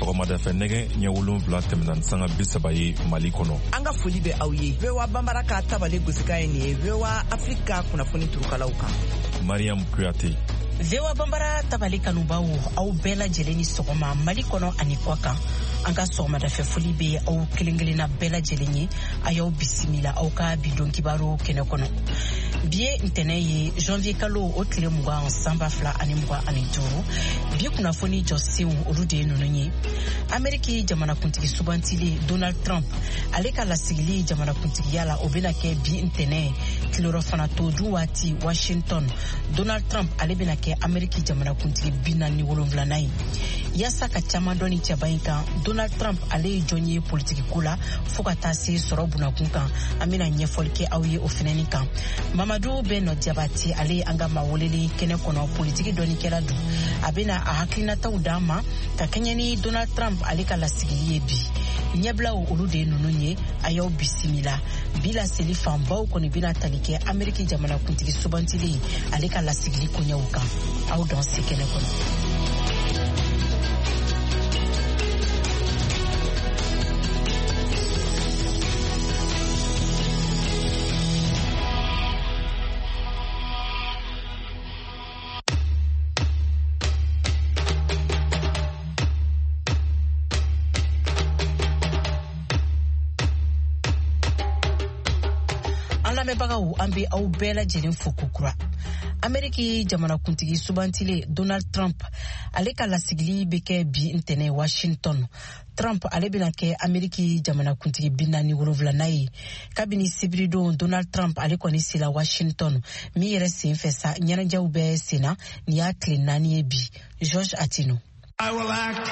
Sɔgɔmada fɛ, nɛgɛ ɲɛ 7 tɛmɛna ni sanga 30 ye Mali kɔnɔ. An ka foli bɛ aw ye. VOA Banbara ka tabale gosikan ye nin ye, VOA Afrique ka kunnafoni turukalaw kan. Mariam Kuyate. VOA Banbara tabale kanubaw, aw bɛɛ lajɛlen ni sɔgɔma Mali kɔnɔ ani kɔ kan. An ka sɔgɔmadafɛ foli bɛ aw kelen kelenna bɛɛ lajɛlen ye. A y'aw bisimila aw ka bi don kibaru kɛnɛ kɔnɔ. Bi ye ntɛnɛ ye, janvier kalo o tile 20, san 2025. Bi kunnafoni jɔsenw, olu de ye ninnu ye: Ameriki jamanakuntigi subantilen Donald Trump, ale ka lasigili jamanakuntigiya la, o bena kɛ bi ntɛnɛ tilelɔfana to dun waati Washington. Donald Trump, ale bena kɛ Ameriki jamanakuntigi 47nan ye. Yaasa ka caaman dɔn ni cɛba in kan, Donald Trump ale ye jɔn ye politikiko la fɔɔ ka taa se sɔrɔ bunakun kan, an bena ɲɛfɔli kɛ aw ye o fɛnɛni kan. Mamadu Bɛnɔ Jabate, ale ye an ka maa welelen kɛnɛ kɔnɔ, politiki dɔnnikɛla don. A bena a hakilinataw d'an ma ka kɛɲɛ ni Donald Trump ale ka lasigili ye bi. Ɲɛbilaw, olu de ye ninnu ye. A y'aw bisimila. Bi laseli fanbaw kɔni bena tali kɛ Ameriki jamanakuntigi subantilen ale ka lasigili koɲɛw kan. Aw dan se kɛnɛ kɔnɔ. An lamɛnbagaw, an be aw bɛɛ lajɛlen fo kokura. Ameriki jamanakuntigi subantilen Donald Trump, ale ka lasigili bɛ kɛ bi ntɛnɛ Washington. Trump ale bɛna kɛ Ameriki jamanakuntigi 47nan ye. Kabini sibiridon, Donald Trump ale kɔni sela Washington. Min yɛrɛ sen fɛ sa, ɲɛnajɛw bɛ senna. Nin y'a tile 4 ye bi. George Atino. I will act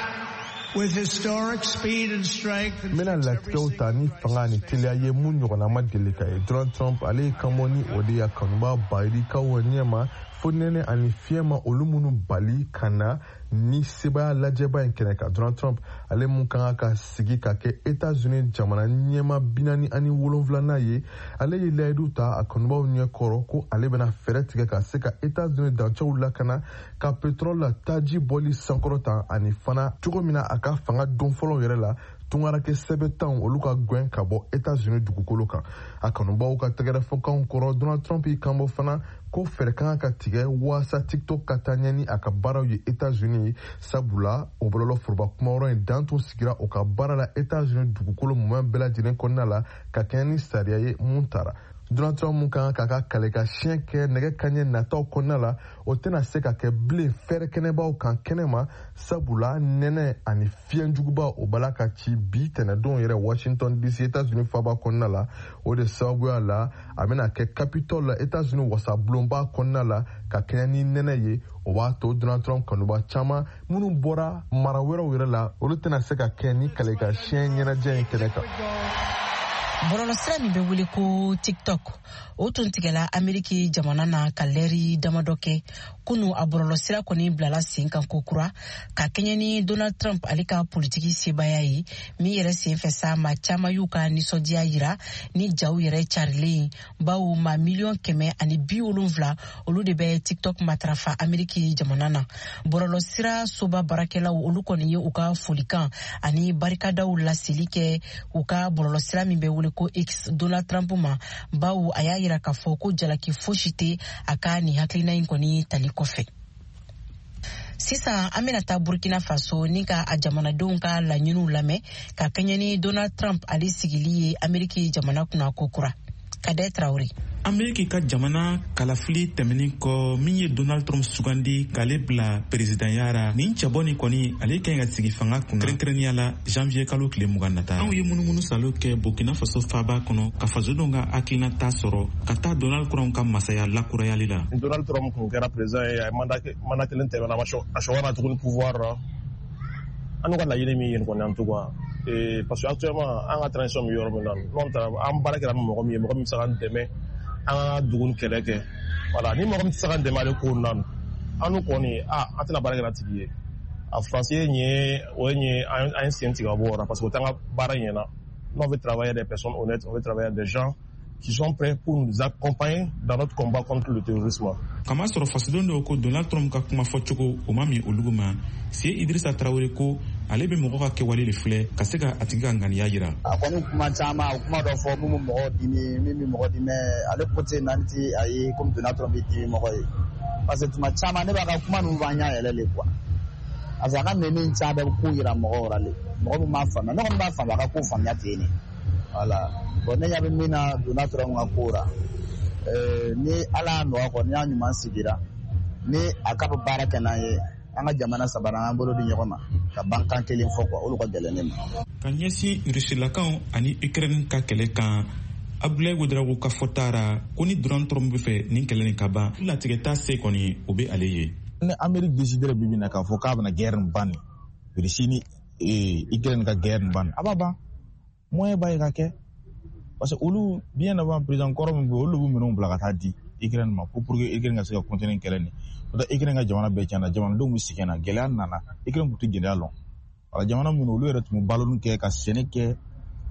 with historic speed and strength. N bɛna latigɛw ta ni fanga ni teliya ye mun ɲɔgɔnna ma deli ka ye. Donald Trump ale ye kanbɔ ni o de ye kanuba bayirikaw ɲɛma, fo nɛnɛ ani fiɲɛ ma olu minnu bali ka na ni sebaya lajɛba in kɛnɛ kan. Donald Trump ale mun ka kan ka sigi ka kɛ Etats-Unis jamana ɲɛma 47nan ye, ale ye layidu ta a kanubaw ɲɛ kɔrɔ ko ale bɛna fɛɛrɛ tigɛ ka se ka Etats-Unis dancɛw lakana, ka pétrole la taji bɔli sankɔrɔta, ani fana cogo min na a ka fanga don fɔlɔ yɛrɛ la, tungarakɛ sɛbɛtanw olu ka gwɛn ka bɔ Etats-Unis dugukolo kan. A kanubaw ka tɛgɛrɛfɔkanw kɔrɔ, Donald Trump y'i kanbɔ fana ko fɛɛrɛ kan ka tigɛ waasa TikTok ka taa ɲɛ ni a ka baaraw ye Etats-Unis, sabula o bɔlɔlɔ foroba kumayɔrɔ in dan tun sigira o ka baara la Etats-Unis dugukolo mumɛ bɛɛ lajɛlen kɔnɔna la, ka kɛɲɛ ni sariya ye mun tara. Donald Trump mun kan k'a ka kale ka siɲɛ kɛ nɛgɛ kaɲɛ nataw kɔnɔna la, o tɛna se ka kɛ bilen fɛɛrɛ kɛnɛbaw kan kɛnɛma, sabula nɛnɛ ani fiɲɛjuguba o bala ka ci bi tɛnɛdon yɛrɛ Washington DC, Etats-Unis faba kɔnɔna la. O de sababuya la, a bɛna kɛ Capitole la, Etats-Unis wasabulonba kɔnɔna la, ka kɛɲɛ ni nɛnɛ ye. O b'a to Donald Trump kanuba caman minnu bɔra mara wɛrɛw yɛrɛ la, olu tɛna se ka kɛ ni kale ka siɲɛ ɲɛnajɛ in kɛnɛ kan. Bɔlɔlɔsira min bɛ wele ko TikTok, o tun tigɛla Ameriki jamana na ka lɛri damadɔ kɛ. Kunu, a bɔlɔlɔsira kɔni bilala sen kan kokura ka kɛɲɛ ni Donald Trump ale ka politiki sebaya ye. Min yɛrɛ sen fɛ sa, maa caaman y'u ka nisɔndiya yira ni jaw yɛrɛ carilen, bawo maa 170 miliyɔn, olu de bɛ TikTok matarafa Ameriki jamana na. Bɔlɔlɔsira soba baarakɛlaw, olu kɔni ye u ka folikan ani barikadaw laseli kɛ u ka bɔlɔlɔsira min bɛ wele ko X Donald Trump ma, bawo a y'a yira k'a fɔ ko jalaki fosi tɛ a ka nin hakilina in kɔni tali kɔfɛ. Sisan, an bena taa Burkina Faso ni ka a jamanadenw ka laɲiniw lamɛn ka kɛɲɛ ni Donald Trump ale sigili ye Ameriki jamana kunna kokura. Kadɛ Tarawure. Ameriki ka jamana kalafili tɛmɛnin kɔ, min ye Donald Trump sugandi k'ale bila peresidanya ra, nin cɛbɔ nin kɔni, ale ka ɲi ka sigi fanga kunna, kɛrɛnkɛrɛnniya la janvier kalo tile 20 nata. Anw ye munumunu salo kɛ Burkina Faso faba kɔnɔ ka fasodenw ka hakilinata sɔrɔ ka taa Donald Trump ka masaya lakurayali la. Donald Trump kun kɛra président ye, a ye mandat kelen tɛmɛna, a sɔgɔra tuguni pouvoir ra. An n'u ka laɲini min ye nin kɔni, en tout cas, parce que actuellement an ka transition bɛ yɔrɔ min na, n'o tɛ an baara kɛra ni mɔgɔ min ye, mɔgɔ min bɛ se k'an dɛmɛ an ka dugu ni kɛlɛ kɛ, voilà, ni mɔgɔ min tɛ se k'an dɛmɛ ale ko na, an n'u kɔni, a an tɛna baara kɛ n'a tigi ye. A faransi ye nin ye, o ye nin ye, an ye sen tigɛ ka bɔ o la, parce que o t'an ka baara ɲɛna. Nous, on veut travailler des personnes honnêtes, on veut travailler des gens qui sont prêts pour nous accompagner dans notre combat contre le terrorisme. Kamasɔrɔ fasoden dɔw ko Donald Trump ka kuma fɔcogo, o ma min olugu ma. Sie Idrissa Tarawele ko Ale bɛ mɔgɔ ka kɛwale de filɛ ka se ka a tigi ka ŋaniya yira. A kɔni kuma caman, a kuma dɔ fɔ min bɛ mɔgɔw dimi, min bɛ mɔgɔ dimi, ale côté naani ti a ye komi Donald Trump bɛ dimi mɔgɔ ye. Parce que tuma caman ne b'a ka kuma ninnu b'an ɲɛ yɛlɛ le quoi. Parce que a ka nɛni caman bɛ ko yira mɔgɔw la le. Mɔgɔ min m'a faamuya, ne kɔni b'a faamuya, a ka ko faamuya ten ne. Voilà. Bon, ne ɲɛ bɛ min na Donald Trump ka ko la, ni Ala y'a nɔgɔya kɔ, ni y'a ɲuman sigira, ni a ka bɛ baara kɛ n'an ye, an ka jamana saba an bolo di ɲɔgɔn ma ka ban kan kelen fɔ quoi, olu ka gɛlɛn ne ma. Ka ɲɛsin Rusilakaw ani Ukraine ka kɛlɛ kan, Abdoulaye Ouedraogo ka fɔta ra ko ni Donald Trump bɛ fɛ nin kɛlɛ nin ka ban, latigɛ t'a se kɔni, o bɛ ale ye. Ni Amérique décidera bi bi na k'a fɔ k'a bɛna guerre nin ban, nin Russie ni Ukraine ka guerre nin ban, a b'a ban, moyen b'a ye ka kɛ, parce que olu bien avant président kɔrɔ min bɛ yen, olu b'u minɛnw bila ka taa di Ukraine ma ko pour que Ukraine ka se ka continuer kɛlɛ nin. N'o tɛ, Ukraine ka jamana bɛɛ tiɲɛna, jamanadenw bɛ sɛgɛn na, gɛlɛya nana. Ukraine tun tɛ gɛlɛya lɔn. Wala jamana minnu, olu yɛrɛ tun bɛ baloni kɛ ka sɛnɛ kɛ,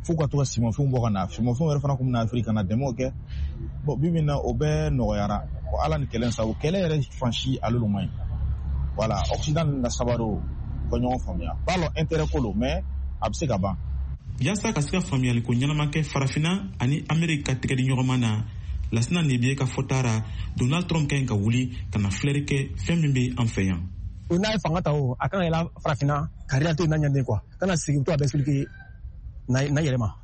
fo ka to ka simanfɛnw bɔ ka na, simanfɛnw yɛrɛ fana tun bɛ na Afiriki ka na dɛmɛw kɛ. Bon, bi bi in na, o bɛɛ nɔgɔyara. Bon, Ala ni kɛlɛ sababu, kɛlɛ yɛrɛ fan si ale man ɲi. Voilà, Occident ninnu ka sabari, o ka ɲɔgɔn faamuya, b'a lɔn intérêt ko lo, mais a bɛ se ka ban. Yaasa ka se ka faamuyaliko ɲɛnama kɛ Farafina ani Ameriki ka tɛgɛdi ɲɔgɔnma na, Lasina Nebiye ka fɔta ra, Donald Trump ka ɲi ka wuli ka na filɛri kɛ fɛn min bɛ an fɛ yan. O n'a ye fanga ta, o a kan ka yɛlɛ Farafinna ka réalité n'a ɲɛden quoi, kana sigi to a bɛ expliquer na yɛrɛ ma,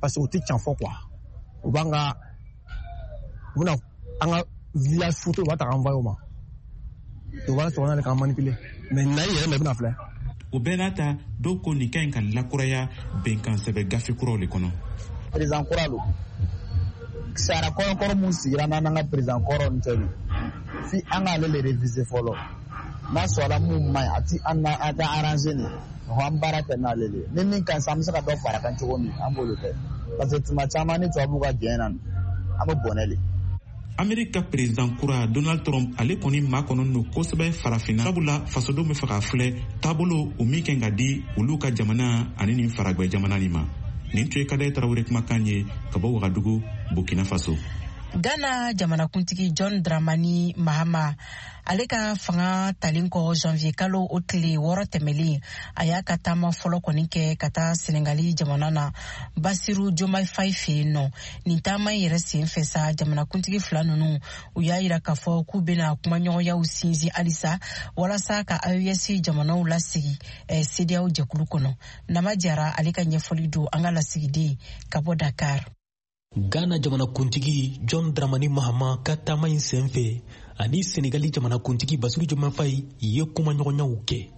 parce que o tɛ can fɔ quoi. U b'an ka, u bɛna an ka village photo, u b'a ta k'an envoyer o ma, u b'a sɔrɔ n'ale k'an manipuler, mais na yɛrɛ ma, i bɛna filɛ. O bɛɛ n'a ta, dɔw ko nin ka ɲi ka lakuraya bɛnkan sɛbɛ gafe kuraw de kɔnɔ. Président kura don, sariya kɔrɔ mun sigira n'an ka président kɔrɔ nin tɛ, fi an k'ale le réviser fɔlɔ. N'a sɔrɔla mun man ɲi, a ti an na, an tɛ arranger nin, an baara kɛ n'ale le. Ni min ka ɲi sa, an bɛ se ka dɔ fara kan cogo min, an b'olu kɛ, parce que tuma caman ni tubabuw ka jɛn na, an bɛ bɔnɛ le. Ameriki ka président kura Donald Trump, ale kɔni makɔnɔ don kosɛbɛ Farafinna, sabula fasodenw bɛ fɛ k'a filɛ taabolo o min kɛ ka di olu ka jamana ani nin faragwɛ jamana nin ma. Nin tun ye Kadɛ Tarawele kumakan ye ka bɔ Wagadugu, Burkina Faso. Ghana jamanakuntigi John Dramani Mahama, ale ka fanga talen kɔ janvier kalo o tile 6 tɛmɛlen, a y'a ka taama fɔlɔ kɔni kɛ ka taa Senegali jamana na, Basiru Diomaye Faye fɛ yen nɔ. Nin taama in yɛrɛ sen fɛ sa, jamanakuntigi fila ninnu, u y'a yira k'a fɔ k'u bɛna kumaɲɔgɔnyaw sinsin halisa walasa ka AES jamanaw lasigi CEDEAO jɛkulu kɔnɔ. Nama Jara, ale ka ɲɛfɔli don, an ka lasigiden ka bɔ Dakar. Ghana jamanakuntigi John Dramani Mahama ka taama in sen fɛ, ani Senegali jamanakuntigi Basiru Diomaye Faye ye kumaɲɔgɔnyaw kɛ.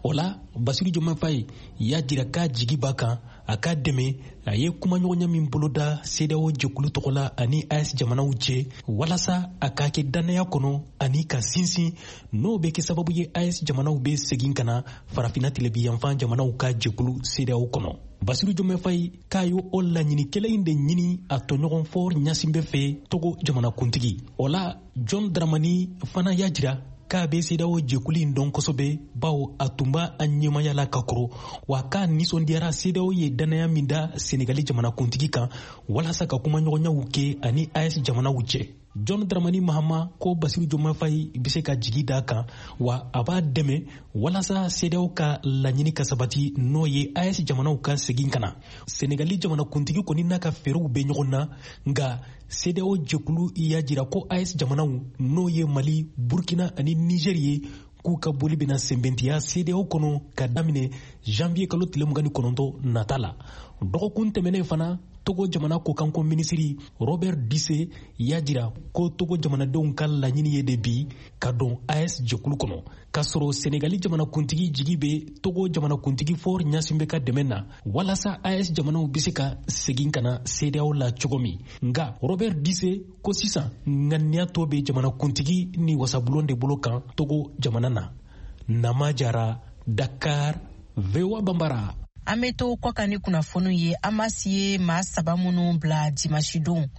O la, Basiru Diomaye Faye y'a jira k'a jigi b'a kan a ka dɛmɛ a ye kumaɲɔgɔnya min boloda CEDEAO jɛkulu tɔgɔ la ani AES jamanaw cɛ, walasa a k'a kɛ dannaya kɔnɔ ani ka sinsin, n'o bɛ kɛ sababu ye AES jamanaw bɛ segin ka na Farafinna tilebinyanfan jamanaw ka jɛkulu CEDEAO kɔnɔ. Basiru Diomaye Faye k'a ye o laɲini kelen in de ɲini a tɔɲɔgɔn Faure Gnassingbé fɛ, Togo jamanakuntigi. O la, John Dramani fana y'a jira k'a bɛ CEDEAO jɛkulu in dɔn kosɛbɛ, bawo a tun b'a a ɲɛmaya la ka kɔrɔ, wa k'a nisɔndiyara CEDEAO ye dannaya min da Senegali jamanakuntigi kan walasa ka kumaɲɔgɔnyaw kɛ ani AES jamanaw cɛ. John Dramani Mahama ko Basiru Diomaye Faye bɛ se ka jigi da kan, wa a b'a dɛmɛ walasa CEDEAO ka laɲini ka sabati, n'o ye AES jamanaw ka segin ka na. Senegali jamanakuntigi kɔni n'a ka fɛɛrɛw bɛ ɲɔgɔn na, nka CEDEAO jɛkulu y'a jira ko AES jamanaw, n'o ye Mali, Burkina ani Niger ye, k'u ka boli bɛna sɛnbɛntiya CEDEAO kɔnɔ ka daminɛ janvier kalo tile 29 nata la. Dɔgɔkun tɛmɛnen fana, Togo jamana kokanko minisiri Robert Dussey y'a jira ko Togo jamanadenw ka laɲini ye de bi ka don AES jɛkulu kɔnɔ, k'a sɔrɔ Senegali jamanakuntigi jigi bɛ Togo jamanakuntigi Faure Gnassingbé ka dɛmɛ na walasa AES jamanaw bɛ se ka segin ka na CEDEAO la cogo min. Nka Robert Dussey ko sisan ŋaniya tɔ bɛ jamanakuntigi ni wasabulon de bolo kan Togo jamana na. Nama Jara, Dakar, VOA Bambara. An bɛ to kɔkan ni kunnafoniw ye. Hamas ye maa saba minnu bila dimanche don,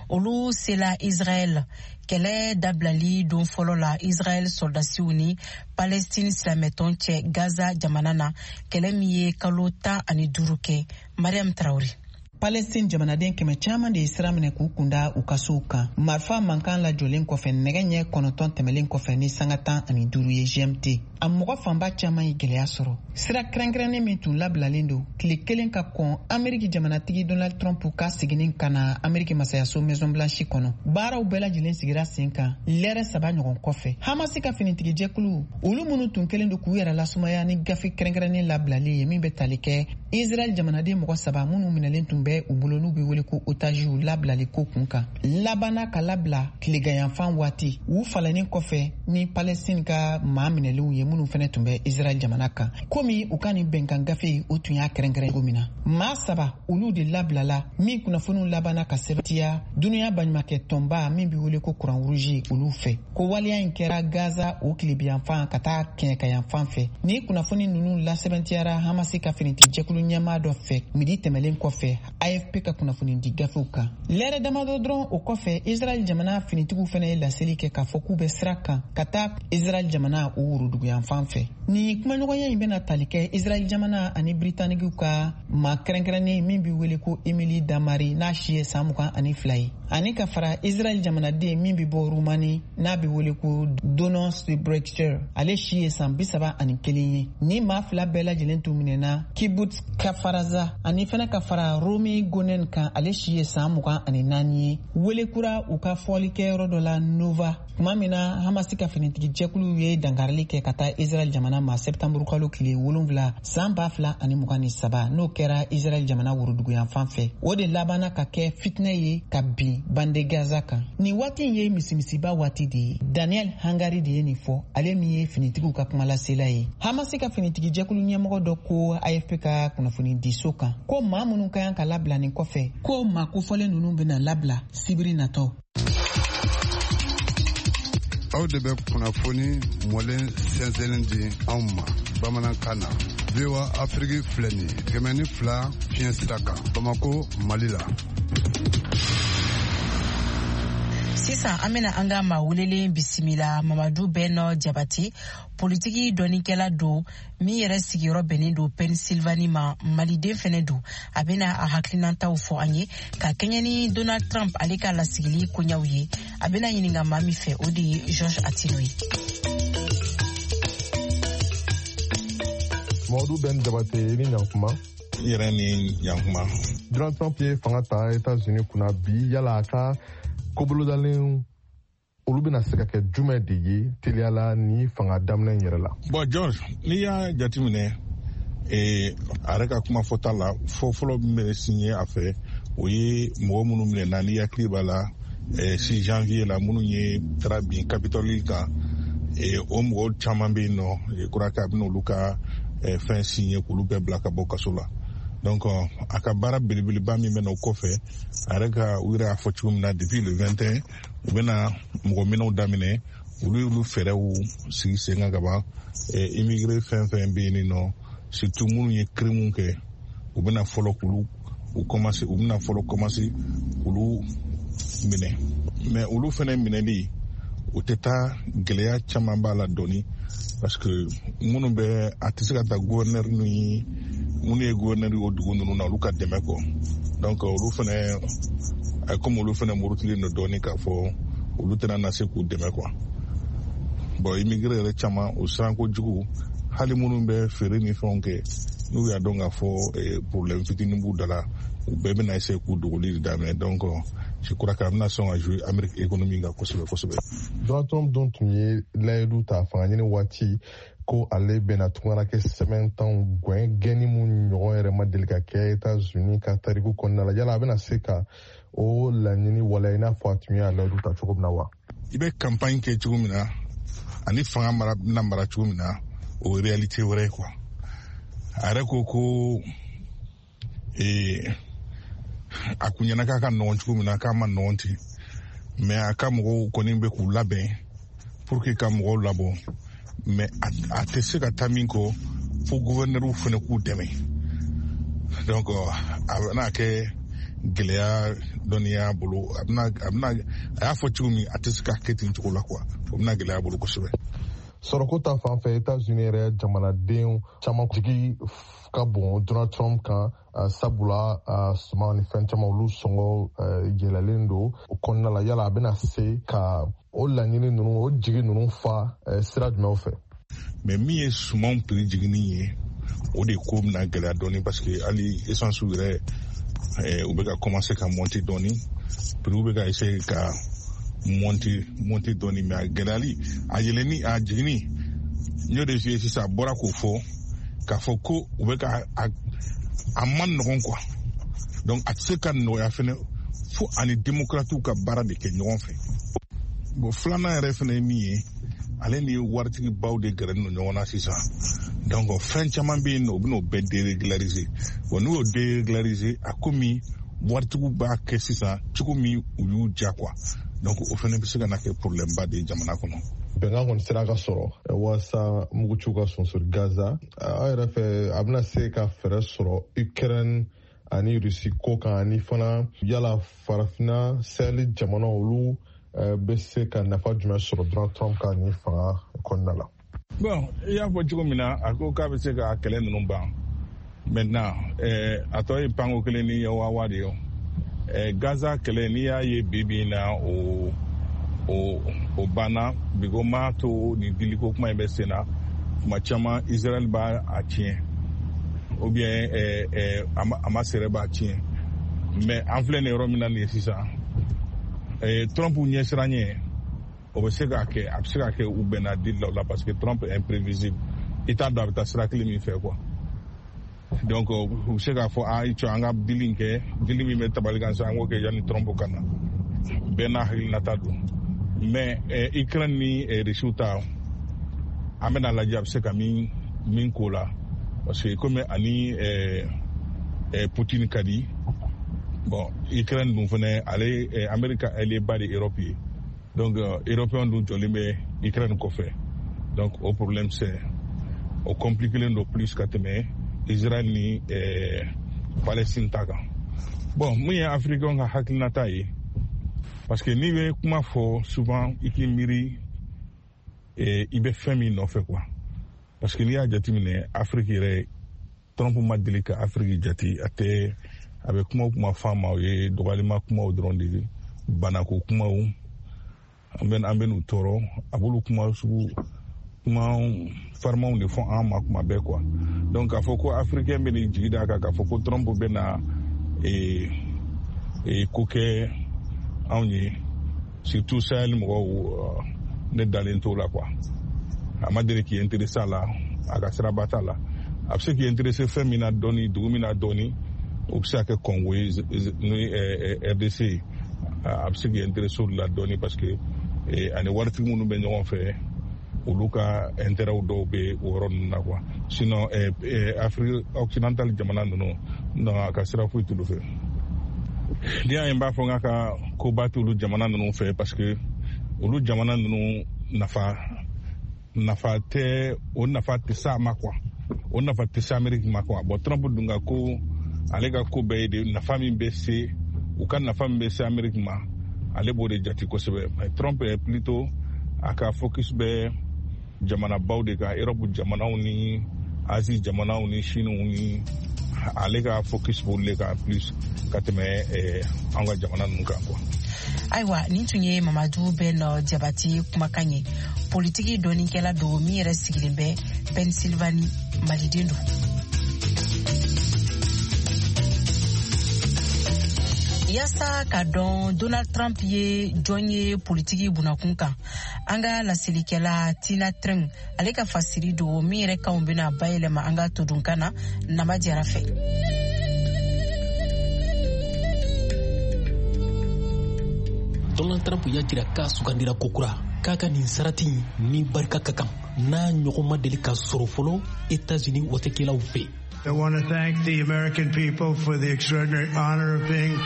olu sela Israɛl. Kɛlɛ dabilali don fɔlɔ la Israɛl sɔrɔdasiw ni Palestine silamɛtɔn cɛ Gaza jamana na, kɛlɛ min ye kalo 15 kɛ. Mariam Tarawele. Palestine jamanaden kɛmɛ caman de ye sira minɛ k'u kunda u ka sow kan, marifa mankan lajɔlen kɔfɛ, nɛgɛ ɲɛ 9 tɛmɛlen kɔfɛ ni sanga 15 ye GMT. A mɔgɔ fanba caman ye gwɛlɛya sɔrɔ. Sira kɛrɛnkɛrɛnnen min tun labilalen don tile kelen ka kɔn Ameriki jamanatigi Donald Trump ka seginni ka na Ameriki masayaso Maison Blanche kɔnɔ, baaraw bɛɛ lajɛlen sigira sen kan lɛrɛ 3 ɲɔgɔn kɔfɛ. Hamasi ka finitigijɛkulu, olu minnu tun kɛlen don k'u yɛrɛ lasumaya ni gafe kɛrɛnkɛrɛnnen labilali ye min bɛ tali kɛ Israɛl jamanaden mɔgɔ 3 minnu minɛlen tun bɛ u bolo n'u bɛ wele ko otaziw labilali ko kun kan, labanna ka labila tileganyanfan waati u falennen kɔfɛ ni Palestine ka maa minɛlenw ye minnu fɛnɛ tun bɛ Israɛl jamana kan. Komi u ka nin bɛnkan gafe o tun y'a kɛrɛnkɛrɛn cogo min na, maa 3 olu de labilala min kunnafoniw labanna ka sɛbɛntiya dunuya baɲumakɛ tɔnba min bɛ wele ko Croix Rouge olu fɛ, ko waleya in kɛra Gaza o tilebiyanfan ka taa kɛɲɛkayanfan fɛ. Ni kunnafoni ninnu lasɛbɛntiyara Hamasi ka finitigi jɛkulu ɲɛmaa dɔ fɛ midi tɛmɛlen kɔfɛ AFP ka kunnafoni di gafew kan. Lɛrɛ damadɔ dɔrɔn o kɔfɛ, Israɛl jamana finitigiw fɛnɛ ye laseli kɛ k'a fɔ k'u bɛ sira kan ka taa Israɛl jamana o woroduguyanfan fɛ. Ni kumaɲɔgɔnya in bɛna tali kɛ Israɛl jamana ani Britanikiw ka maa kɛrɛnkɛrɛnnen min bɛ wele ko Emily Damari, n'a si ye san 22 ye, ani ka fara Israɛl jamanaden min bɛ bɔ Rumani n'a bɛ wele ko Donon Brechter, ale si ye san 31 ye. Ni maa 2 bɛɛ lajɛlen tun minɛna Kibbutz Kafaraza, ani fɛnɛ ka fara Romi Gonen kan, ale si ye san 24 ye, wele kura u ka fɔlikɛyɔrɔ dɔ la Nova, tuma min na Hamasi ka finitigi jɛkulu ye dankarili kɛ ka taa Israɛl jamana ma sɛptanburu kalo tile 7 san 2023, n'o kɛra Israɛl jamana woroduguyanfan fɛ. O de labanna ka kɛ fitinɛ ye ka bin bande Gaza kan. Nin waati in ye misimisiba waati de ye. Daniel Hagari de ye nin fɔ, ale min ye finitigiw ka kumalasela ye. Hamasi ka finitigi jɛkulu ɲɛmɔgɔ dɔ ko AFP ka kunnafoni diso kan ko maa minnu ka kan ka labila nin kɔfɛ, ko maa kofɔlen ninnu bɛna labila sibiri natɔ. Aw de bɛ kunnafoni mɔlen sɛnsɛnlen di anw ma bamanankan na. VOA Afrique filɛ nin ye 102 fiɲɛ sira kan Bamako, Mali la. Sisan an bena an ka maa welelen bisimila, Mamadu Bɛnɔ Jabate, politiki dɔnnikɛla don min yɛrɛ sigiyɔrɔ bɛnnen don Pennsylvanie ma, maliden fɛnɛ don. A bena a hakilinataw fɔ an ye ka kɛɲɛ ni Donald Trump ale ka lasigili koɲaw ye. A bena ɲininga maa min fɛ, o de ye George Atino ye. Mamadu Ben Jabate, i ni ɲankuma. I yɛrɛ ni ɲankuma. Donald Trump ye fanga ta États-Unis kunna bi, yala a ka kobolodalen olu bɛna se ka kɛ jumɛn de ye teliyala ni fanga daminɛ in yɛrɛ la? Bon George, n'i y'a jateminɛ, a yɛrɛ ka kuma fɔta la, fɔlɔ min bɛ signé a fɛ, o ye mɔgɔ minnu minɛna, n'i hakili b'a la, 6 janvier la, minnu ye taara bin Capitole kan, o mɔgɔw caman bɛ yen nɔ, je crois que a bɛna olu ka fɛn signé k'olu bɛɛ bila ka bɔ kaso la. Donc a ka baara belebeleba min bɛ na o kɔfɛ, a yɛrɛ ka u yɛrɛ y'a fɔ cogo min na, depuis le 21 u bɛna mɔgɔ minɛw daminɛ. Olu y'olu fɛɛrɛw sigi sen kan ka ban. Immigré fɛn fɛn bɛ yen nɔ, surtout minnu ye crime kɛ, u bɛna fɔlɔ k'olu u commencer, u bɛna fɔlɔ commencer k'olu minɛ. Mais olu fɛnɛ minɛli, o tɛ taa, gɛlɛya caman b'a la dɔɔni, parce que minnu bɛ a tɛ se ka taa gouverneur ni minnu ye gouverneur ye o dugu ninnu na, olu ka dɛmɛ kɔ. Donc olu fɛnɛ, komi olu fɛnɛ murutilen don dɔɔni, k'a fɔ olu tɛna na se k'u dɛmɛ quoi. Bon, immigré yɛrɛ caman, o siran kojugu, hali minnu bɛ feere ni fɛnw kɛ, n'u y'a dɔn k'a fɔ problème fitinin b'u da la, u bɛɛ bɛna essayer k'u dogoli de daminɛ. Donc je crois que a bɛna sɔn ka jouer Amérique économie kan kosɛbɛ kosɛbɛ. Donald Trump dun tun ye layidu ta fanga ɲini waati ko ale bɛna tungarakɛ sɛbɛntanw gɛn, gɛnni mun ɲɔgɔn yɛrɛ ma deli ka kɛ États-Unis ka tariku kɔnɔna la. Yala a bɛna se ka o laɲini waleya i n'a fɔ a tun ye a layidu ta cogo min na wa? I bɛ campagne kɛ cogo min na ani fanga mara bɛna mara cogo min na, o ye réalité wɛrɛ ye quoi. A yɛrɛ ko ko a kun ɲɛna k'a ka nɔgɔn cogo min na, k'a ma nɔgɔn ten, mais a ka mɔgɔw kɔni bɛ k'u labɛn pour que ka mɔgɔw labɔ. Mais a tɛ se ka taa min kɔ, fo gouverneur fana k'u dɛmɛ. Donc a bɛna kɛ gɛlɛya dɔnniya bolo. A bɛna a bɛna a y'a fɔ cogo min, a tɛ se ka kɛ ten cogo la quoi, o bɛna gɛlɛya bolo kosɛbɛ. Sɔrɔko ta fan fɛ, États-Unis yɛrɛ jamanaden caman jigi ka bon Donald Trump kan, sabula suman ni fɛn caman olu sɔngɔ yɛlɛlen don o kɔnɔna la. Yala a bɛna se ka o laɲini ninnu, o jigi ninnu fa sira jumɛnw fɛ? Mais min ye sumanw prix jiginni ye, o de ko bɛna gɛlɛya dɔɔni, parce que hali essence yɛrɛ, u bɛ ka commencer ka monter dɔɔni, prix bɛ ka essayer ka monter dɔɔni. Mais a gɛlɛyali, a yɛlɛnni, a jiginni, n y'o de f'i ye sisan, a bɔra k'o fɔ k'a fɔ ko u bɛ ka a man nɔgɔn quoi. Donc a tɛ se ka nɔgɔya fɛnɛ fo ani démocrates ka baara de kɛ ɲɔgɔn fɛ. Bon, filanan yɛrɛ fɛnɛ ye min ye, ale ni waritigibaw de gɛrɛnen don ɲɔgɔn na sisan. Donc fɛn caman bɛ yen nɔ, u bɛn'o bɛɛ dérégulariser. Bon, n'u y'o dérégulariser, a komi waritigiw b'a kɛ sisan cogo min u y'u ja quoi. Donc o fɛnɛ bɛ se ka na kɛ problème ba de ye jamana kɔnɔ. Bɛnkan kɔni sera ka sɔrɔ walasa muguciw ka sonsori Gaza. Aw yɛrɛ fɛ, a bɛna se ka fɛɛrɛ sɔrɔ Ukraine ani Rusi ko kan, ani fana yala Farafinna Sahel jamana, olu bɛ se ka nafa jumɛn sɔrɔ Donald Trump ka nin fanga kɔnɔna la? Bon, i y'a fɔ cogo min na, a ko k'a bɛ se ka kɛlɛ ninnu ban. Maintenant, a tɔ ye panko kelen ni wawa de ye. Gaza kɛlɛ, n'i y'a ye bi bi in na, o banna. Bigo m'a to nin diliko kuma in bɛ sen na. Tuma caman Israël b'a a tiɲɛ, ou bien Hamas yɛrɛ b'a tiɲɛ. Mais an filɛ nin yɔrɔ min na nin ye sisan, Trump ɲɛsiran ɲɛ, o bɛ se k'a kɛ, a bɛ se ka kɛ u bɛnna deal la o la, parce que Trump est imprévisible, i t'a dɔn a bɛ taa sira kelen min fɛ quoi. Donc u bɛ se k'a fɔ a i cɔ, an ka deal in kɛ, deal min bɛ tabali kan sisan, an k'o kɛ yanni Trump ka na. Bɛɛ n'a hakilinata don. Mais Ukraine ni Rusiw ta, an bɛna lajɛ a bɛ se ka min k'o la, parce que komi ani Poutine ka di. Bon, Ukraine dun fɛnɛ, ale Amérique ka allié ba de Europe ye. Donc européen dun jɔlen bɛ Ukraine kɔfɛ. Donc o problème, c'est o compliqué don plus ka tɛmɛ Israël ni Palestine ta kan. Bon, mun ye africain ka hakilinata ye, parce que n'i bɛ kuma fɔ souvent, i k'i miiri i bɛ fɛn min nɔfɛ quoi. Parce que n'i y'a jateminɛ, Afrique yɛrɛ, Trump ma deli ka Afrique jate. A tɛ, a bɛ kuma o kuma fɔ a ma, o ye dɔgɔyalima kumaw dɔrɔn de ye, banako kumaw, an bɛ n'u tɔɔrɔ, a b'olu kuma sugu, kuma farimanw de fɔ an ma kuma bɛɛ quoi. Donc k'a fɔ ko africain bɛ n'i jigi d'a kan k'a fɔ ko Trump bɛ na ko kɛ anw ye, surtout Sahel mɔgɔw, ne dalen t'o la quoi. A ma deli k'i intéressé a la, a ka siraba t'a la. A bɛ se k'i intéressé fɛn min na dɔɔni, dugu min na dɔɔni, o bɛ se ka kɛ Congo ye ni RDC ye. A bɛ se k'i intéressé olu la dɔɔni, parce que ani waritigi minnu bɛ ɲɔgɔn fɛ, olu ka intérêt dɔw bɛ o yɔrɔ ninnu na quoi. Sinon Afrique occidentale jamana ninnu, non, a ka sira foyi t'olu fɛ. N'i y'a ye n b'a fɔ n k'a ka koba t'olu jamana ninnu fɛ, parce que olu jamana ninnu nafa tɛ, o nafa tɛ s'a ma quoi, o nafa tɛ se Amérique ma quoi. Bon, Trump dun ka ko, ale ka ko bɛɛ ye de nafa min bɛ se u ka, nafa min bɛ se Amérique ma, ale b'o de jate kosɛbɛ. Mais Trump est plutôt, a ka focus bɛ jamanabaw de kan, Europe jamanaw ni Asie jamanaw ni Chine ni, ale ka focus b'olu de kan plus ka tɛmɛ an ka jamana ninnu kan quoi. Ayiwa, nin tun ye Mamadu Bɛn Jabati kumakan ye, politiki dɔnnikɛla don min yɛrɛ sigilen bɛ Pennsylvanie, maliden don. Yaasa ka dɔn Donald Trump ye jɔn ye politiki bunakun kan, an ka laselikɛla Tina Treng, ale ka fasiri don min yɛrɛ kanw bena bayɛlɛma an ka todunkan na Nama Jara fɛ. Donald Trump y'a jira k'a sugandira kokura, k'a ka nin sarati ni barika ka kan, n'a ɲɔgɔn ma deli ka sɔrɔ fɔlɔ Etats-Unis watekɛlaw fɛ. I want to thank the American people for the extraordinary honor of being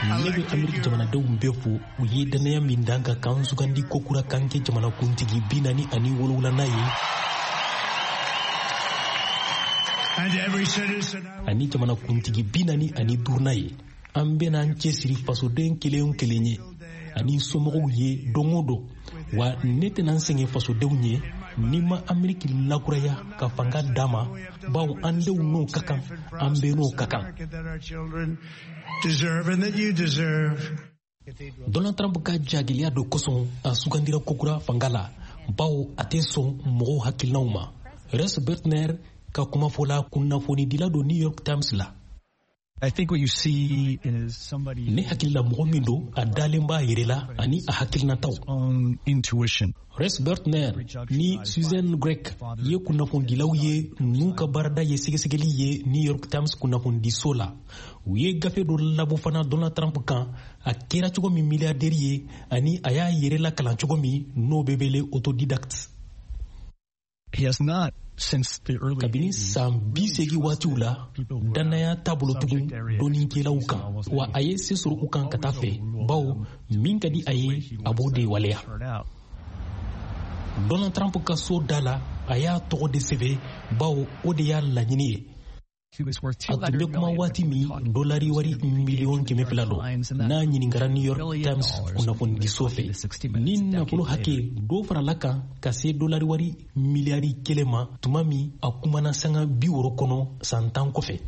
Ne bɛ Ameriki jamanadenw bɛɛ fo, u ye dannaya min dan ka kan sugandi kokura kan kɛ jamanakuntigi 47nan ye ani jamanakuntigi 45nan ye. An bɛna an cɛsiri fasoden kelen o kelen ye ani somɔgɔw ye don o don. Wa ne tɛna n sɛgɛn fasodenw ye ni ma Ameriki lakuraya ka fanga d'a ma, bawo an denw n'o ka kan, an bɛɛ n'o ka kan. Deserve and that you deserve. Donald Trump ka jagɛlɛya dɔ kosɔn, a sugandira kokura fanga la. bawo a tɛ sɔn mɔgɔw hakilinaw ma. Res Bertner ka kumafɔ la, kunnafonidila don New York Times la. Ne hakili la, mɔgɔ min don, a dalen b'a yɛrɛ la ani a hakilinataw. Res Bertner ni Susan Grech ye kunnafonidilaw ye n'u ka baarada ye sɛgɛsɛgɛli ye New York Times kunnafonidiso la. U ye gafe dɔ labɔ fana Donald Trump kan, a kɛra cogo min milliardaire ye ani a y'a yɛrɛ lakalan cogo min, n'o bɛ wele autodidacte. Kabini san 80 waatiw la, dannaya t'a bolo tugun dɔnnikɛlaw kan, wa a ye se sɔrɔ u kan ka taa fɛ, bawo min ka di a ye, a b'o de waleya. Donald Trump ka so da la, a y'a tɔgɔ de sɛbɛn, bawo o de y'a laɲini ye. A tun bɛ kuma waati min, dolari wari miliyɔn 200 don, n'a ɲininkara New York Times kunnafonidiso fɛ. Ni nafolo hakɛ dɔ farala kan ka se dolari wari miliyari 1 ma tuma min a kumana sanga 60 kɔnɔ san 10 kɔfɛ.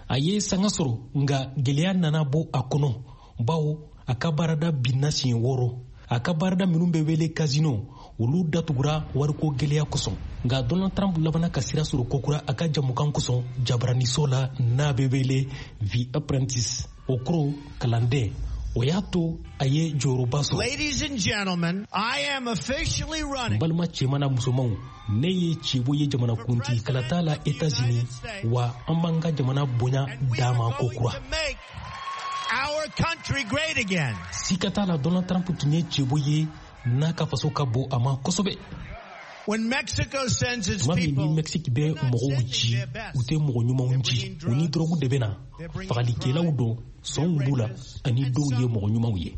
A ye sanga sɔrɔ, nka gwɛlɛya nana bɔ a kɔnɔ, bawo a ka baarada binna siɲɛ wɔɔrɔ. A ka baarada minnu bɛ wele casino, olu datugura wariko gwɛlɛya kosɔn. Nka Donald Trump labana ka sira sɔrɔ kokura a ka jamukan kosɔn jabaraniso la, n'a bɛ wele The Apprentice, o kɔrɔ kalanden. O y'a to a ye jɔyɔrɔba sɔrɔ. N balima cɛman na musomanw, ne ye cɛbɔ ye jamanakuntigi kalata la Etats-Unis, wa an b'an ka jamana bonya d'a ma kokura. Sika t'a la, Donald Trump tun ye cɛbɔ ye n'a ka faso ka bon a ma kosɛbɛ. Tuma min ni Mexique bɛ mɔgɔw ci, u tɛ mɔgɔ ɲumanw ci. U ni dɔrɔgu de bɛ na, fagalikɛlaw don, sɔnw b'u la, ani dɔw ye mɔgɔ ɲumanw ye.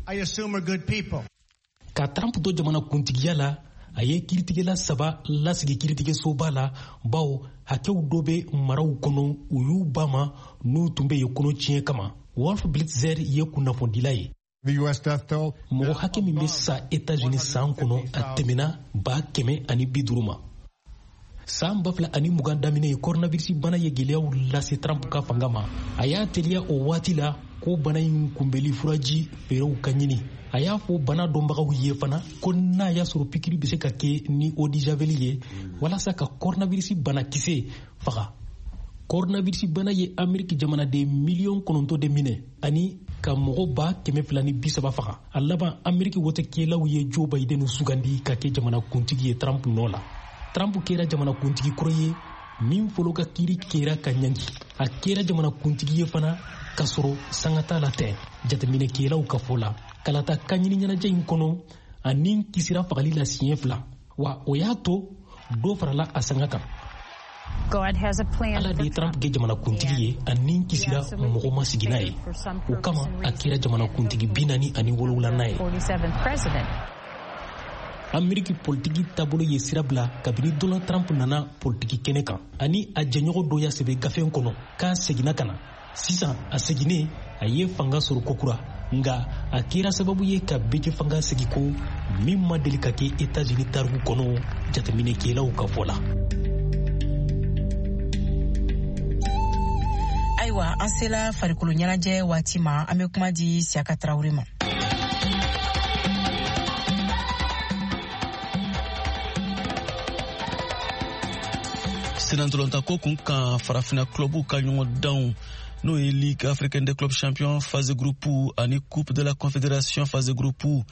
Ka Trump to jamana kuntigiya la, a ye kiiritigɛla saba lasigi kiiritigɛsoba la, bawo hakɛw dɔ bɛ maraw kɔnɔ, u y'u ba ma n'u tun bɛ yen kɔnɔ tiɲɛ kama. Wolf Blitzer ye kunnafonidila ye. Mɔgɔ hakɛ min bɛ sa Etats-Unis san kɔnɔ, a tɛmɛna 150,000 ma. San 2020 daminɛ, coronavirus bana ye gwɛlɛyaw lase Trump ka fanga ma. A y'a teliya o waati la ko bana in kunbɛli furaji fɛɛrɛw ka ɲini. A y'a fɔ bana dɔnbagaw ye fana ko n'a y'a sɔrɔ pikiri bɛ se ka kɛ ni eau de javel ye walasa ka coronavirus banakisɛ faga. Coronavirus bana ye Ameriki jamanaden miliyɔn 9 de minɛ ani ka mɔgɔ 230,000 faga. A laban, Ameriki wotekɛlaw ye Joe Biden sugandi ka kɛ jamanakuntigi ye Trump nɔ la. Trump kɛra jamanakuntigi kɔrɔ ye min fɔlɔ ka kiiri kɛra ka ɲangi. A kɛra jamanakuntigi ye fana k'a sɔrɔ sanga t'a la tɛ, jateminɛkɛlaw ka fɔ la. Kalata kanɲini ɲɛnajɛ in kɔnɔ, a ni kisira fagali la siɲɛ fila, wa o y'a to dɔ farala a sanga kan. Ala de ye Trump kɛ jamanakuntigi ye, a ni kisira mɔgɔ ma sigi n'a ye. O kama, a kɛra jamanakuntigi 47nan ye. Ameriki politiki taabolo ye sira bila kabini Donald Trump nana politiki kɛnɛ kan, ani a jɛɲɔgɔn dɔ y'a sɛbɛn gafe kɔnɔ k'a seginna ka na. Sisan a seginnen, a ye fanga sɔrɔ kokura, nka a kɛra sababu ye ka bɛɛ fanga segi ko min ma deli ka kɛ Etats-Unis tariku kɔnɔ, jateminɛkɛlaw ka fɔ la. Ayiwa, an sela farikolo ɲɛnajɛ waati ma. An bɛ kuma di Siyaka Tarawele ma. Senatɔlɔntako kun kan, Farafina clubw ka ɲɔgɔndanw, n'o ye Ligue africaine des clubs champions phase groupe ani Coupe de la Confédération phase groupe,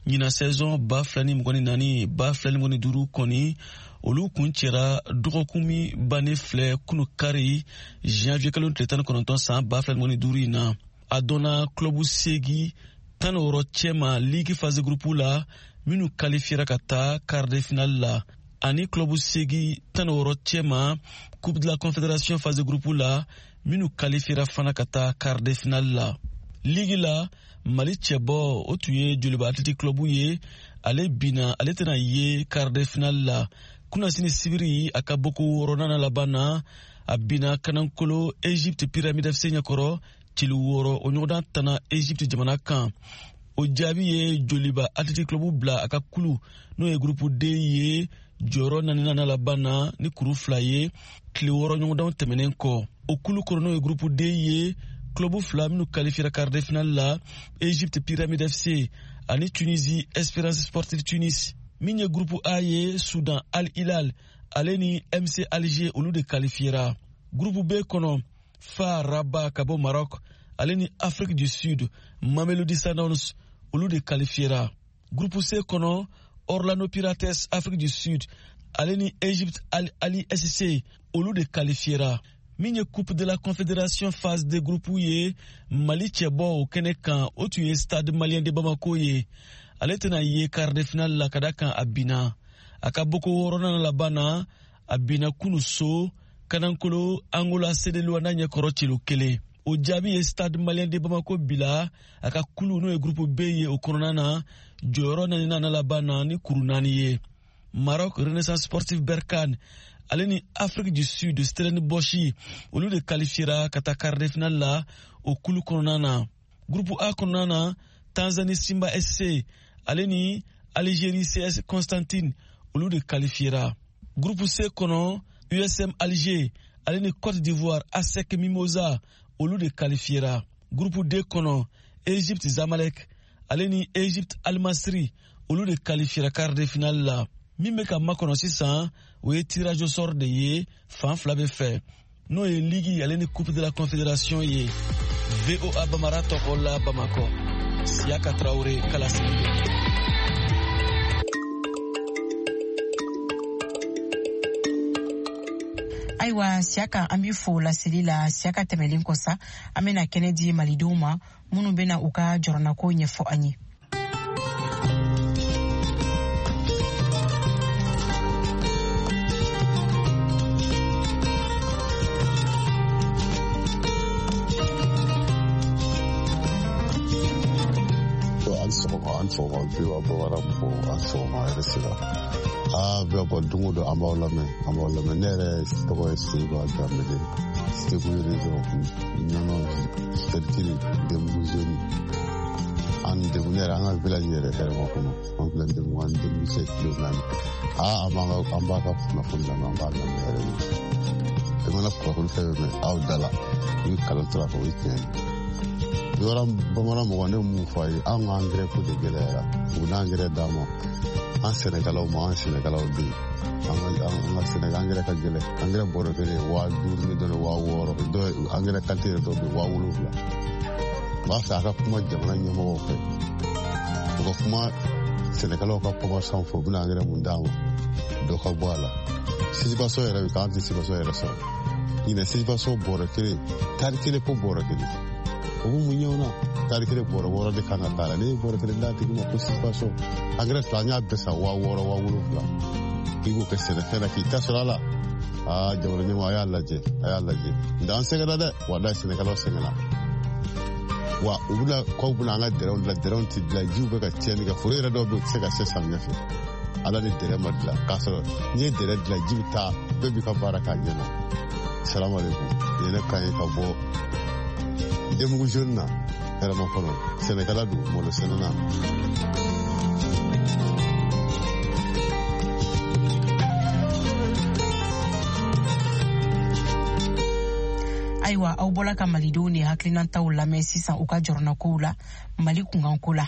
ɲinan saison 2024 2025 kɔni, olu kun cɛra dɔgɔkun min bannen filɛ, kunu kari, janvier kalo tile 19 san 2025 in na. A dɔnna club seegi 16 cɛma ligue phase groupe la minnu qualifiera ka taa quart de finale la, ani club seegi 16 cɛma Coupe de la Confédération phase groupe la minnu qualifiera fana ka taa quart de finale la. Ligue la, Mali cɛbɔ, o tun ye Joliba Athletic Club ye. Ale binna, ale tɛna ye quart de finale la kunnasini sibiri. A ka boko wɔɔrɔnan laban na, a binna kanankolo Egypte Pyramide FC ɲɛkɔrɔ cili 6. O ɲɔgɔndan tana Egypte jamana kan. O jaabi ye Joliba Athletic Club bila a ka kulu, n'o ye groupe D ye, jɔyɔrɔ naaninan laban na ni kuru 2 ye, tile 6 ɲɔgɔndanw tɛmɛnen kɔ. O kulu kɔnɔ, n'o ye groupe D ye, club fila minnu qualifiera quart de finale la, Egypte Pyramide FC ani Tunisie Espérance Sportive Tunis. Min ye groupe A ye, Sudan Al Hilal ale ni MC Alger, olu de qualifiera. Groupe B kɔnɔ, FAR Rabat ka bɔ Maroc ale ni Afrique du Sud Mamelodi Sundowns, olu de qualifiera. Groupe C kɔnɔ, Orlando Pirates Afrique du Sud ale ni Egypte Al Ahly SC, olu de qualifiera. Min ye Coupe de la Confédération phase de groupe ye, Mali cɛbɔ o kɛnɛ kan, o tun ye Stade Malien de Bamako ye. Ale tɛna ye quart de finale la, ka da kan a binna a ka boko wɔɔrɔnan laban na. A binna kunu so kanankolo Angola CD Luanda ɲɛkɔrɔ celo 1. O jaabi ye Stade Malien de Bamako bila a ka kulu, n'o ye groupe B ye, o kɔnɔna na jɔyɔrɔ naaninan na laban na ni kuru 4 ye. Maroc Renaissance Sportive Berkane ale ni Afrique du Sud Stellenbosch, olu de qualifiera ka taa quart de finale la o kulu kɔnɔna na. Groupe A kɔnɔna na, Tanzanie Simba SC ale ni Algérie CS Constantine, olu de qualifiera. Groupe C kɔnɔ, USM Alger ale ni Côte d'Ivoire ASEC Mimosa, olu de qualifiera. Groupe D kɔnɔ, Egypte Zamalek ale ni Egypte Al Masry, olu de qualifiera quart de finale la. Min bɛ ka makɔnɔ sisan, o ye tirage au sort de ye fan fila bɛ fɛ, n'o ye ligue ale ni Coupe de la Confédération ye. VOA Bamara tɔgɔ la, Bamakɔ, Siyaka Tarawele kalasigi don. Ayiwa Siyaka, an b'i fo laseli la. Siyaka, tɛmɛlen kɔ sa, an bɛna kɛnɛ di malidenw ma minnu bɛna u ka jɔrɔnako ɲɛfɔ an ye. An sɔgɔma, an sɔgɔma, VOA Bamara mɔgɔw, an sɔgɔma, yɛrɛ sira. Aa, bɛɛ bɔ don o don, an b'aw lamɛn, an b'aw lamɛn. Ne yɛrɛ tɔgɔ ye Seyiba Danbele, Segu région, Ɲɔnɔ cercle Denbugu zone. An degun, ne yɛrɛ, an ka village yɛrɛ hɛrɛma kɔnɔ, an filɛ Denbugu, an Denbugu se kilo 4. Aa, an b'an ka, an b'a ka kunnafoni lamɛn, an b'a lamɛn yɛrɛ de. I mana kunnafoni fɛn fɛn mɛn aw da la, i bɛ kalan tora fɔ, o ye tiɲɛ ye. Yɔrɔ bamanan mɔgɔ, ne mun fɔ a ye, an ka angɛrɛ ko de gɛlɛyara. U bɛna angɛrɛ d'an ma, an sɛnɛkɛlaw ma, an sɛnɛkɛlaw bɛ yen. An ka sɛnɛkɛ angɛrɛ ka gɛlɛn. Angɛrɛ bɔrɔ kelen 5000 ni dɔɔni, 6000, dɔw angɛrɛ qualité yɛrɛ dɔw bɛ yen 7000. N b'a fɛ a ka kuma jamana ɲɛmɔgɔw fɛ, u ka kuma sɛnɛkɛlaw ka commerçant fɛ, u bɛna angɛrɛ mun d'an ma, dɔ ka bɔ a la. Sisibaso yɛrɛ bɛ k'an tɛ sisibaso yɛrɛ sɔrɔ ɲinɛ. Sisibaso bɔrɔ kelen, tari kelen ko bɔrɔ kelen, o bɛ mun ɲɛ o na? Tari kelen bɔrɔ 6 de kan ka k'a la. Ne ye bɔrɔ kelen d'a tigi ma ko sisibaso angɛrɛ fila, an y'a bɛɛ san 6000, 7000. K'i b'o kɛ sɛnɛfɛn na k'i ta sɔrɔ a la. Aa, jamana ɲɛmɔgɔ, a y'a lajɛ, a y'a lajɛ. Nka an sɛgɛnna dɛ, walayi, sɛnɛkɛlaw sɛgɛnna. Wa u bɛna k'aw bɛna an ka dɛrɛw dilan, dɛrɛw tɛ dilan, jiw bɛ ka tiɲɛni kɛ. Foro yɛrɛ dɔw bɛ yen, u tɛ se ka se samiyɛ fɛ, ala ni dɛrɛ ma dilan. K'a sɔrɔ n'i ye dɛrɛ dilan, ji bɛ taa, bɛɛ b'i ka baara k'a ɲɛ ma. Salamu aleykum, nin ye ne kan ye ka bɔ Denbugu zone na, hɛrɛma kɔnɔ, sɛnɛkɛla don, malo sɛnɛna. Ayiwa, aw bɔla ka malidenw ni hakilinataw lamɛn sisan u ka jɔrɔnakow la Mali kunkanko la.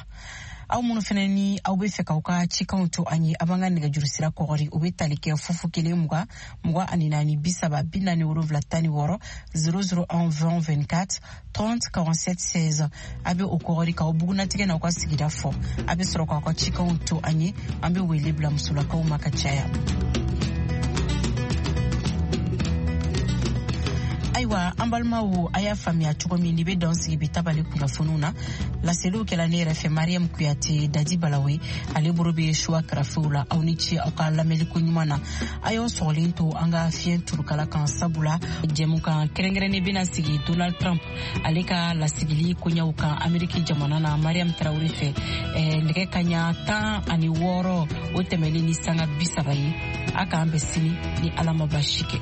Aw minnu fɛnɛ ni aw be fɛ k'aw ka cikanw to an ye, a b'an ka nɛgɛjuru sira kɔgɔri, o be tali kɛ 0 0 20 24 30 47 16, 0 0 1 20 24 30 47 16. A be o kɔgɔri k'aw bugunatigɛ n'aw ka sigida fɔ. A be sɔrɔ k'aw ka cikanw to an ye, an be wele bila musolakaw ma ka caya. Ayiwa, an balimaw, a y'a faamuya cogo min, ni be dan sigi bi tabali kunnafoniw na. Laseliw kɛla ne yɛrɛ fɛ, Mariam Kuyate. Dadi Balawe, ale boro be suwa karafew la. Aw ni ce aw ka lamɛnliko ɲuman na. A y'aw sɔgɔlen to an ka fiɲɛ turukala kan, sabula jɛmukan kɛrɛnkɛrɛnnen bena sigi Donald Trump ale ka lasigili koɲɛw kan Ameriki jamana na, Mariam Tarawele fɛ, nɛgɛ kaɲa 16 o tɛmɛlen ni sanga 30 ye. A k'an bɛn sini ni Ala ma basi kɛ.